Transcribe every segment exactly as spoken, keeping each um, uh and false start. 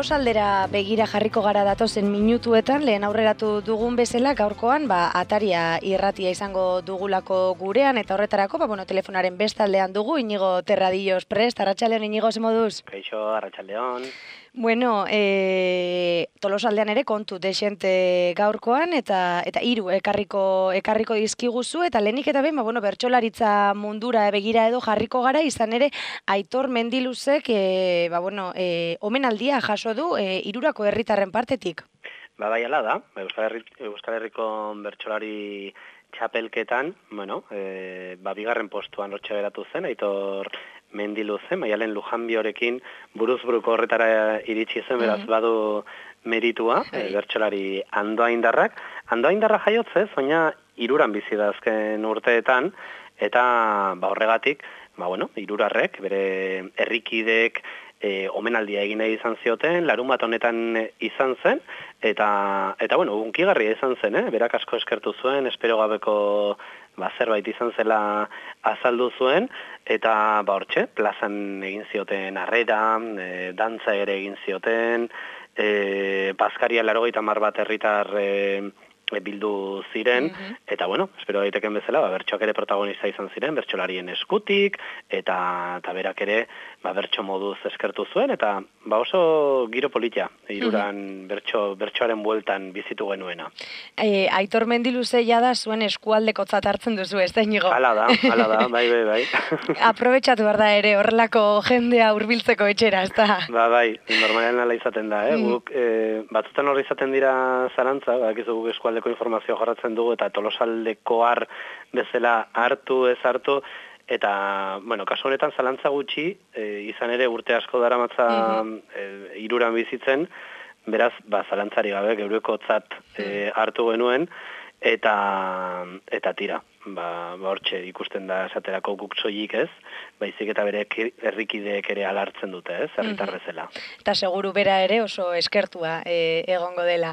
Tolosaldera begira jarriko gara datozen minutuetan, lehen aurreratu dugun bezala gaurkoan, ba, Ataria irratia izango dugulako gurean, eta horretarako, ba, bueno, telefonaren bestaldean dugu, Inigo Terradillos prest, Arratsaldeon Inigo, ze moduz? Kaixo, Arratsaldeon. Bueno, e, Tolosaldean ere kontu desente gaurkoan, eta eta hiru ekarriko ekarriko dizkiguzu, eta lehenik eta behin, ba, bueno, bertsolaritza mundura begira edo jarriko gara, izan ere Aitor Mendiluzek, e, ba, bueno, e, omenaldia jaso du e, hirurako herritarren partetik. Ba, bai, ala da, Euskal, Herri, Euskal Herriko bertsolari txapelketan, bueno, e, ba, bigarren postuan lortxe geratu zen, Aitor Mendiluze, Maialen Lujanbiorekin buruz buruko horretara iritsi zen, beraz badu meritua, e, bertsolari Andoaindarrak. Andoaindarra jaiotzez, baina hiruran bizi da azken urteetan, eta ba, horregatik, ba, bueno, hirurarrek, bere herrikideek e, omenaldia egin nahi izan zioten, larun bat honetan izan zen, eta, eta bueno, unkigarria izan zen, eh? Berak asko eskertu zuen, espero gabeko ba, zerbait izan zela azaldu zuen, eta ba, hortxe, plazan egin zioten harrera, e, dantza ere egin zioten, e, Baskaria larogeita hamar bat herritar e, bildu ziren, mm -hmm. eta bueno, espero daiteken bezala, ba, bertsoak ere protagonista izan ziren, bertsolarien eskutik, eta, eta berak ere ba, bertso moduz eskertu zuen, eta ba, oso giro politia, hiruran mm -hmm. bertso, bertsoaren bueltan bizitu genuena. E, Aitor Mendiluze da zuen eskualdekotzat hartzen duzu, ez da, Inigo? Hala da, hala da, bai, bai, bai. Aprobetxatu behar da ere, horrelako jendea hurbiltzeko etxera, ez da? Ba, bai, normalen ala izaten da, eh? Mm. Guk, e, batzutan horri izaten dira zarantza, bakizu guk eskualde informazioa jorratzen dugu, eta Tolosaldekoar bezala hartu, ez hartu, eta, bueno, kasu honetan zalantza gutxi, e, izan ere urte asko daramatza mm-hmm. e, hiruran bizitzen, beraz, ba, zalantzari gabe, geurekotzat e, hartu genuen, eta, eta tira, ba, ba hortxe ikusten da esaterako guk soilik ez, baizik eta bere herrikideek ere alartzen dute, ez, herritar bezala. Eta seguru bera ere oso eskertua e, egongo dela.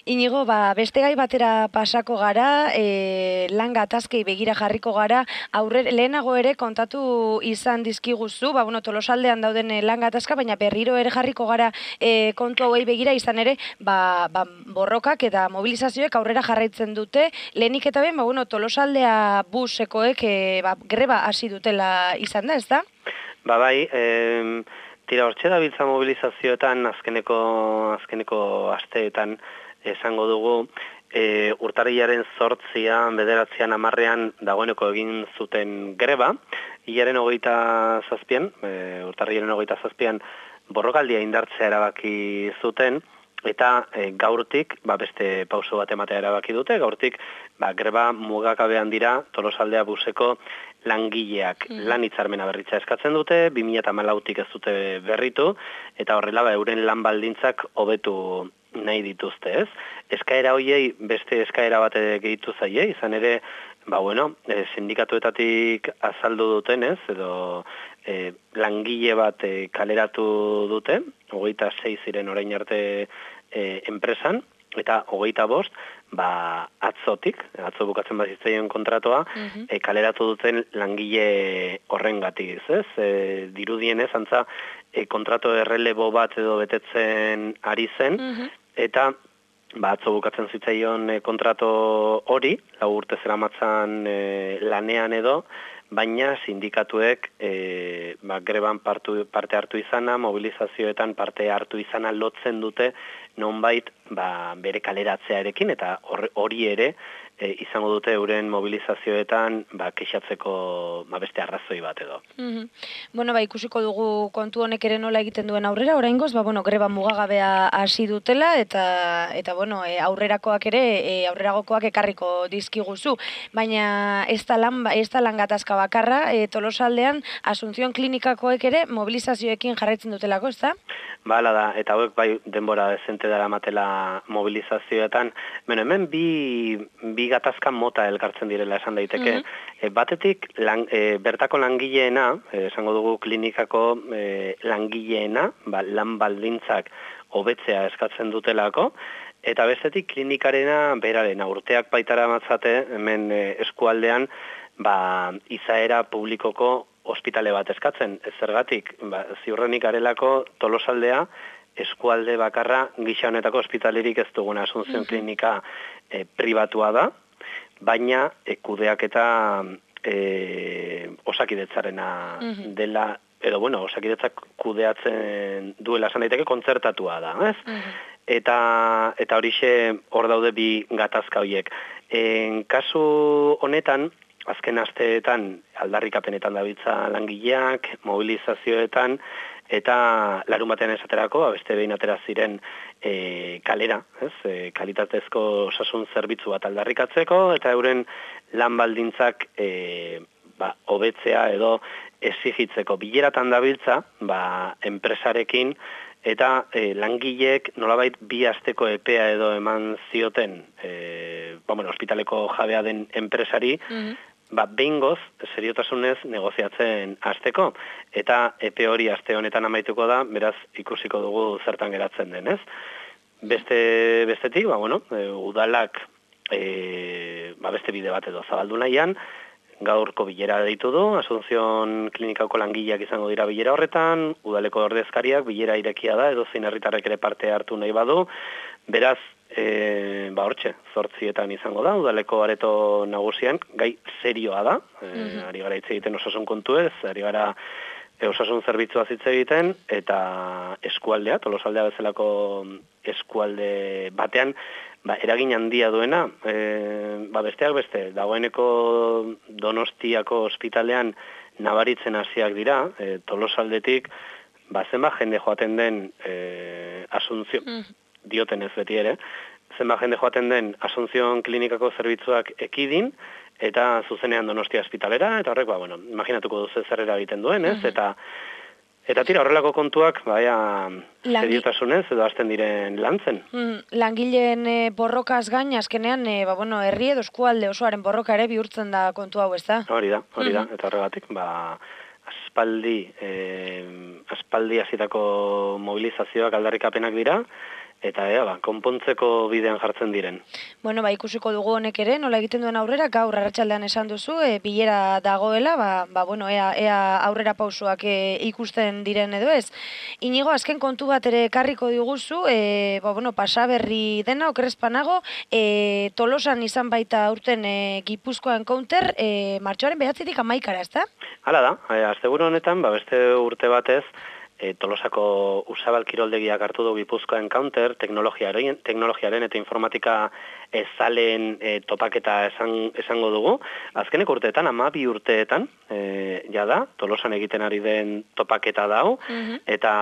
Inigo, ba, beste gai batera pasako gara, e, lan gatazkei begira jarriko gara, aurre, lehenago ere kontatu izan dizkiguzu, ba, bueno, Tolosaldean dauden lan gatazka, baina berriro ere jarriko gara e, kontu hauei begira, izan ere, ba, ba, borrokak eta mobilizazioek aurrera jarraitzen dute, lehenik eta ben, ba, bueno, Tolosaldea busekoek e, ba, greba hasi dutela izan da, ez da? Ba bai, e, tira hortxe da biltza mobilizazioetan azkeneko, azkeneko asteetan esango dugu, e, urtarrilaren zortzian, bederatzean, amarrean dagoeneko egin zuten greba, hilaren hogeita zazpian, e, urtarrilaren hogeita zazpian borrokaldia indartzea erabaki zuten, eta e, gaurtik, ba, beste pauso bat ematea erabaki dute, gaurtik ba, greba mugakabean dira Tolosaldea buseko langileak mm. lan hitzarmena berritza eskatzen dute, bi mila hamalautik ez dute berritu, eta horrela ba, euren lan baldintzak hobetu nahi dituzte, ez? Eskaera hoiei beste eskaera bat gehitu zaie, izan ere, ba bueno, e, sindikatuetatik azaldu dutenez, edo e, langile bat e, kaleratu dute, hogeita sei ziren orain arte e, enpresan, eta hogeita bost, ba, atzotik, atzo bukatzen bazitzaien kontratoa, mm-hmm. e, kaleratu duten langile horrengatik, ez? E, dirudienez, antza, e, kontrato errelebo bat edo betetzen ari zen, mm-hmm. eta ba, atzo bukatzen zitzaion e, kontrato hori, lau urte zeramatzan e, lanean edo, baina sindikatuek e, ba, greban partu, parte hartu izana, mobilizazioetan parte hartu izana lotzen dute, nonbait ba, bere kaleratzearekin, eta hori ere e, izango dute euren mobilizazioetan ba, kexatzeko ba, beste arrazoi bat edo. Mm-hmm. Bueno, ba, ikusiko dugu kontu honek ere nola egiten duen aurrera, oraingoz, ba, bueno, greba mugagabea hasi dutela, eta, eta bueno, e, aurrerakoak ere, e, aurreragokoak ekarriko dizkiguzu, baina ez da lan, ez da lan gatazka bakarra, e, Tolosaldean, Asunción Klinikakoek ere mobilizazioekin jarraitzen dutelako, ez da? Ba, ala da, eta hauek bai denbora dezente dara matela mobilizazioetan. Bueno, hemen bi, bi gatazka mota elkartzen direla esan daiteke. Mm-hmm. e, batetik, lan, e, bertako langileena, e, esango dugu klinikako e, langileena, ba, lan baldintzak hobetzea eskatzen dutelako, eta bestetik klinikarena berarena urteak baitara matzate, hemen e, eskualdean, ba, izaera publikoko ospitale bat eskatzen, ez zergatik, ba, ziurrenik garelako Tolosaldea eskualde bakarra gisa honetako ospitalerik ez duguna Asunción klinika e, pribatua da, baina e, kudeaketa e, Osakidetzarena dela, edo bueno, Osakidetzak kudeatzen duela esan daiteke kontzertatua da, ez? Eta eta horixe hor daude bi gatazka horiek. En kasu honetan, azken asteetan aldarrikapenetan dabiltza langileak, mobilizazioetan, eta larun batean esaterako, beste behin atera ziren e, kalera, ez? E, kalitatezko osasun zerbitzu bat aldarrikatzeko, eta euren lan baldintzak e, ba, hobetzea edo exigitzeko. Bileratan dabiltza, ba, enpresarekin, eta e, langileek nolabait bi asteko epea edo eman zioten e, ba, bueno, ospitaleko jabea den enpresari, ba, behingoz, seriotasunez negoziatzen hasteko, eta epe hori aste honetan amaituko da, beraz ikusiko dugu zertan geratzen den, ez? Beste, bestetik, ba, bueno, e, udalak e, ba, beste bide bat edo zabaldu nahian, gaurko bilera deitu du, Asunción klinikako langileak izango dira bilera horretan, udaleko ordezkariak bilera irekia da, edo zein herritarrek ere parte hartu nahi badu, beraz, E, ba hortxe, zortzietan izango da, udaleko areto nagusian, gai serioa da, e, mm-hmm. ari gara hitz egiten osasun kontuez, ari gara e, osasun zerbitzua hitz egiten, eta eskualdea, Tolosaldea bezalako eskualde batean, ba, eragin handia duena, e, ba, besteak beste, dagoeneko Donostiako ospitalean nabaritzen hasiak dira, e, Tolosaldetik, ba, zenba jende joaten den e, Asunción, mm. dioten ez beti ere, zenba jende joaten den Asunción klinikako zerbitzuak ekidin, eta zuzenean Donostia ospitalera, eta horrek, ba, bueno, imaginatuko duzu zer eragiten duen, ez? Eta, eta tira, horrelako kontuak, baia, seriotasunez, edo hasten diren lantzen. Mm, langileen e, borrokaz gain, azkenean, e, ba, bueno, herri edo eskualde osoaren borroka ere bihurtzen da kontu hau, ez da? Hori da, hori da, eta horregatik, ba, aspaldi, eh, aspaldi hasitako mobilizazioak aldarrikapenak dira, eta ea, ba, konpontzeko bidean jartzen diren. Bueno, ba, ikusiko dugu honek ere, nola egiten duen aurrera, gaur arratsaldean esan duzu, e, bilera dagoela, ba, ba, bueno, ea, ea aurrera pausoak e, ikusten diren edo ez. Inigo, azken kontu bat ere karriko diguzu, e, ba, bueno, pasaberri dena, okerrezpanago, e, Tolosan izan baita urten e, Gipuzkoan counter, e, martxoaren behatzitik amaikara, ez da? Hala da, e, asteburu honetan, ba, beste urte batez, E, Tolosako Usabal kiroldegiak hartu du Gipuzkoan counter, teknologiaren, teknologiaren eta informatika ezaleen e, topaketa esan, esango dugu. Azkeneko urteetan, amabi urteetan, e, ja da, Tolosan egiten ari den topaketa dau, mm-hmm. eta,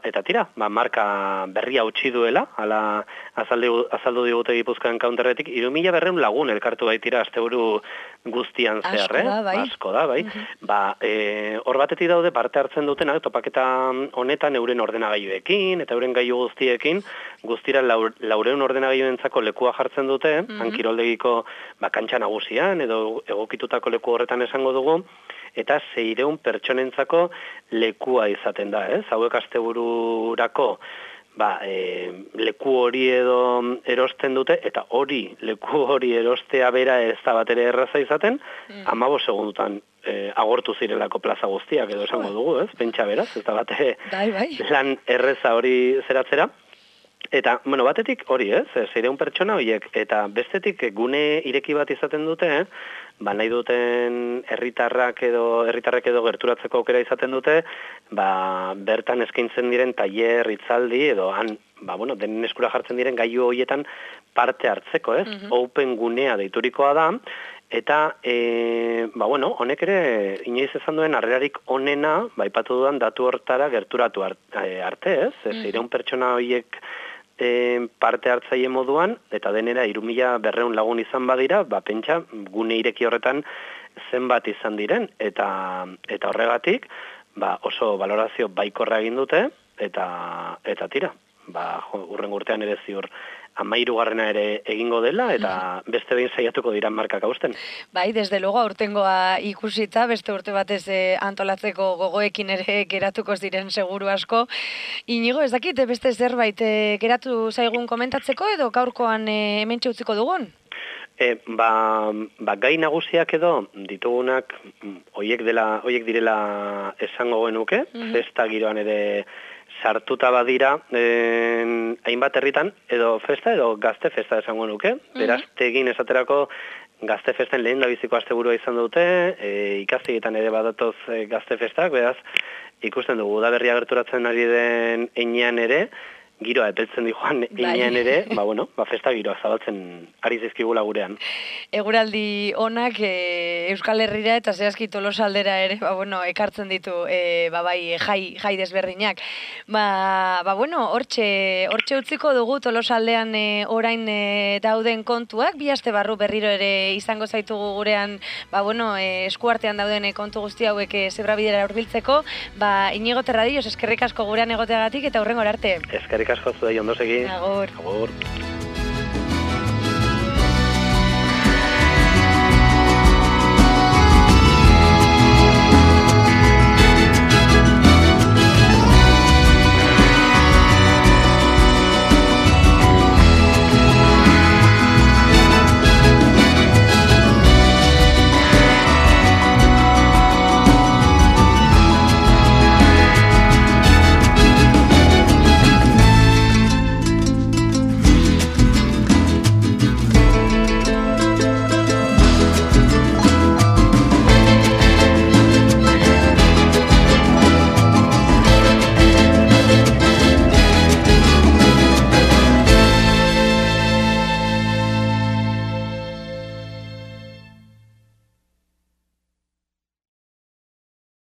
eta tira, ba, marka berria utzi duela, ala azaldu, azaldu digute Gipuzkoan counterretik, hiru mila berrehun lagun elkartu baitira asteburu guztian zehar, asko da, bai. Asko da, bai. Mm-hmm. Ba, e, hor batetik daude parte hartzen dutenak topaketa honetan euren ordenagailuekin eta euren gailu guztiekin, guztira laureun ordenagailuentzako lekua jartzen dute, mm-hmm. hankiroldegiko ba, kantxa nagusian edo egokitutako leku horretan esango dugu, eta seireun pertsonentzako lekua izaten da, ez? Hauek astebururako ba, e, leku hori edo erosten dute, eta hori, leku hori erostea bera ez da bat ere erraza izaten, mm. amabos segundutan e, agortu zirelako plaza guztiak edo esango dugu, ez? Pentsa beraz, ez da bate bai, bai. lan erreza hori zeratzera. Eta, bueno, batetik hori, ez? Seireun pertsona horiek, eta bestetik gune ireki bat izaten dute, eh? Ba, nahi duten herritarrak edo herritarrek edo gerturatzeko aukera izaten dute, ba, bertan eskaintzen diren tailer, hitzaldi edo han, ba, bueno, denen eskura jartzen diren gailu horietan parte hartzeko, ez? Mm-hmm. Open gunea deiturikoa da, eta, e, ba, bueno, honek ere inoiz ezan duen harrerarik onena, ba, ipatu dudan datu hortara gerturatu arte, ez? Mm-hmm. Seireun pertsona horiek E, parte hartzaile moduan, eta denera hiru mila berrehun lagun izan badira, ba, pentsa, gune ireki horretan zenbat izan diren, eta, eta horregatik, ba, oso valorazio baikorra egin dute, eta, eta tira, ba, urren urtean ere ziur amairugarrena ere egingo dela, eta beste behin saiatuko dira markak hausten. Bai, desde luego aurtengoa ikusita, beste urte batez eh, antolatzeko gogoekin ere geratuko ziren seguru asko. Inigo, ez dakit, beste zerbait eh, geratu zaigun komentatzeko edo gaurkoan eh, hementxe utziko dugun? E, ba, ba, gai nagusiak edo ditugunak hoiek dela, hoiek direla esango genuke, mm-hmm. festa giroan ere sartuta badira eh, hainbat herritan, edo festa edo gazte festa esango nuke. Beraz, tegin esaterako gazte festen lehen da biziko asteburua izan dute, e, ikastegietan ere badatoz e, gazte festak, beraz, ikusten dugu, udaberria gerturatzen ari den einean ere, giroa epeltzen di joan einean ere, ba, bueno, ba, festa giroa zabaltzen ari zizkigula gurean. Eguraldi onak e, Euskal Herrira eta zehazki Tolosaldera ere, ba, bueno, ekartzen ditu e, ba, bai, jai, jai desberdinak. Ba, ba bueno, hortxe, hortxe utziko dugu Tolosaldean e, orain e, dauden kontuak, bi aste barru berriro ere izango zaitugu gurean, ba, bueno, e, eskuartean dauden e, kontu guzti hauek e, zebrabidera hurbiltzeko, ba, Inigo Terradillos, eskerrik asko gurean egoteagatik eta hurrengora arte. Eskerrik asko zuei ondo segi. Agur. Agur.